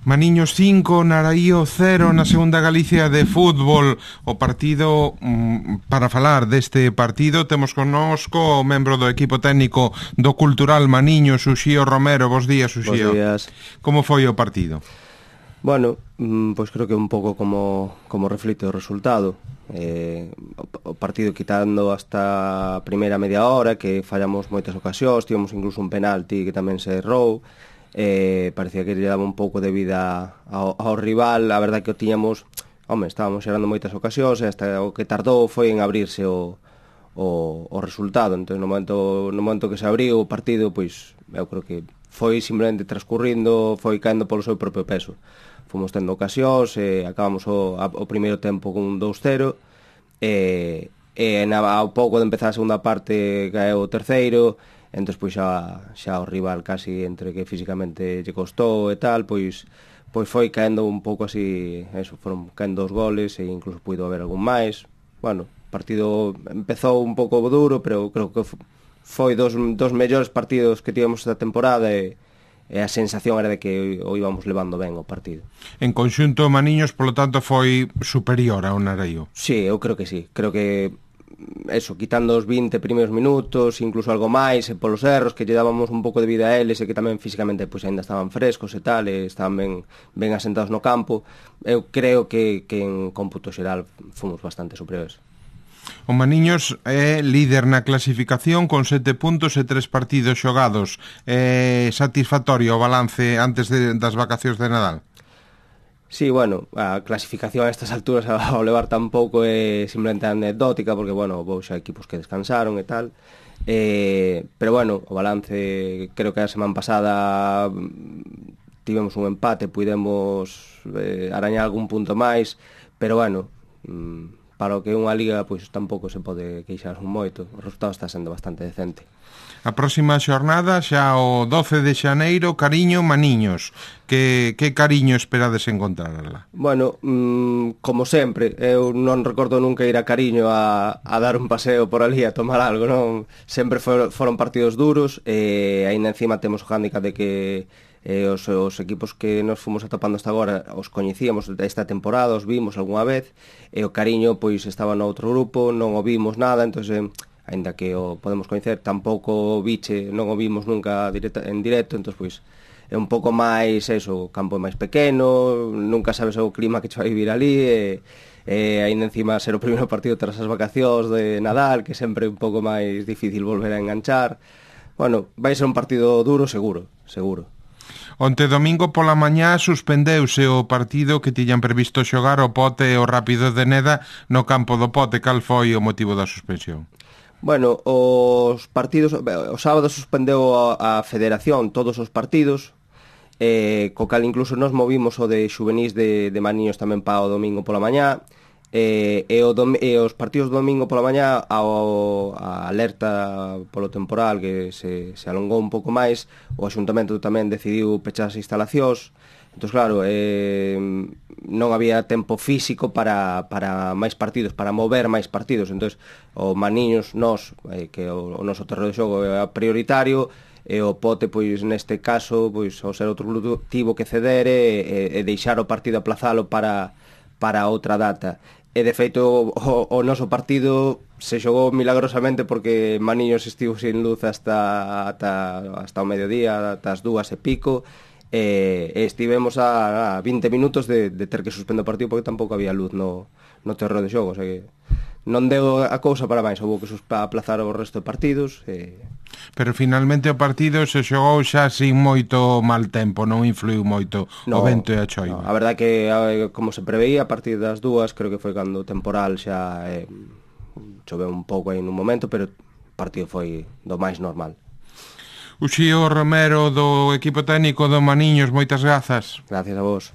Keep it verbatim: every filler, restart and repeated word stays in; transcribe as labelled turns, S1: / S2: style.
S1: Maniños cinco, Naraío cero na segunda Galicia de fútbol. O partido, para falar deste partido, temos connosco o membro do equipo técnico do Cultural Maniños, Uxío Romero. Bos días, Uxío.
S2: Bos días.
S1: Como foi o partido?
S2: Bueno, pois creo que un pouco como, como reflite o resultado. Eh, o partido quitando hasta a primeira media hora, que fallamos moitas ocasións, tivemos incluso un penalti que tamén se errou. Eh, parecía que lle daba un pouco de vida ao, ao rival. A verdade que o tiñamos, home, estábamos xerando moitas ocasións e hasta o que tardou foi en abrirse o, o, o resultado. Entón, no momento, no momento que se abriu o partido, pois eu creo que foi simplemente transcurrindo, foi caendo polo seu propio peso. Fomos tendo ocasións, e acabamos o, a, o primeiro tempo con dous cero, e, e na, ao pouco de empezar a segunda parte caeu o terceiro. Entón, pois xa, xa o rival casi entre que físicamente lle costou e tal, pois pois foi caendo un pouco así, eso, foron caendo os goles e incluso puido haber algún máis. Bueno, o partido empezou un pouco duro, pero creo que foi dos, dos mellores partidos que tivemos esta temporada e, e a sensación era de que o íbamos levando ben o partido.
S1: En conxunto, Maniños, polo tanto, foi superior ao Naraío.
S2: Sí, eu creo que sí, creo que eso, quitando os vinte primeiros minutos, incluso algo máis, e polos erros que lle dábamos un pouco de vida a eles, e que tamén físicamente pois aínda estaban frescos e tal, e estaban ben, ben asentados no campo, eu creo que, que en cómputo xeral fomos bastante superiores.
S1: O Maniños é líder na clasificación con sete puntos e tres partidos xogados. É satisfactorio o balance antes de, das vacacións de Nadal?
S2: Sí, bueno, a clasificación a estas alturas ao levar tan pouco é simplemente anecdótica, porque, bueno, houve xa equipos que descansaron e tal, eh, pero, bueno, o balance, creo que a semana pasada tivemos un empate, pudemos eh, arañar algún punto máis, pero, bueno, para o que é unha liga, pois tampouco se pode queixar un moito, o resultado está sendo bastante decente.
S1: A próxima xornada xa o doce de xaneiro, Cariño, Maniños. Que, que cariño esperades encontrarla?
S2: Bueno, mmm, como sempre, eu non recordo nunca ir a Cariño a, a dar un paseo por ali, a tomar algo, non? Sempre for, foron partidos duros, e aínda encima temos o hándicap de que eh, os, os equipos que nos fomos atopando hasta agora os coñecíamos esta temporada, os vimos algunha vez, e o Cariño pois estaba no outro grupo, non o vimos nada, entón, eh, aínda que o podemos coñecer, tampouco o biche, non o vimos nunca directa, en directo, entón, pois, é un pouco máis, eso, o campo é máis pequeno, nunca sabes o clima que che vai vivir ali, e, e aínda encima ser o primeiro partido tras as vacacións de Nadal, que sempre é un pouco máis difícil volver a enganchar. Bueno, vai ser un partido duro, seguro, seguro.
S1: Onte domingo pola mañá suspendeuse o partido que tiñan previsto xogar o Pote e o Rápido de Neda no campo do Pote. Cal foi o motivo da suspensión?
S2: Bueno, os partidos, o sábado suspendeu a, a federación todos os partidos, eh, co cal incluso nos movimos o de xuvenís de, de Maniños tamén para o domingo pola mañá, eh, e, o dom, e os partidos do domingo pola mañá ao, a alerta polo temporal que se, se alongou un pouco máis, o Axuntamento tamén decidiu pechar as instalacións. Entón, claro, eh, non había tempo físico para, para máis partidos, para mover máis partidos. Entón, o Maniños, nós, eh, que o, o noso terreo de xogo é prioritario, e o Pote, pois, neste caso, pois, ao ser outro club, tivo que ceder e, e deixar o partido, aplazalo para, para outra data. E, de feito, o, o noso partido se xogou milagrosamente porque Maniños estivo sin luz hasta, hasta, hasta o mediodía, hasta as dúas e pico, e, e estivemos a, a vinte minutos de, de ter que suspender o partido porque tampouco había luz no, no terreo de xogo, o sea que non deu a cousa para máis, houve que aplazar o resto de partidos e...
S1: Pero finalmente o partido se xogou xa sin moito mal tempo, non influiu moito no, o vento e a choiva.
S2: No, a verdade que, como se preveía, a partir das dúas, creo que foi cando o temporal xa eh, choveu un pouco aí nun momento, pero o partido foi do máis normal.
S1: Uxío Romero, do equipo técnico do Maniños, moitas grazas.
S2: Gracias a vos.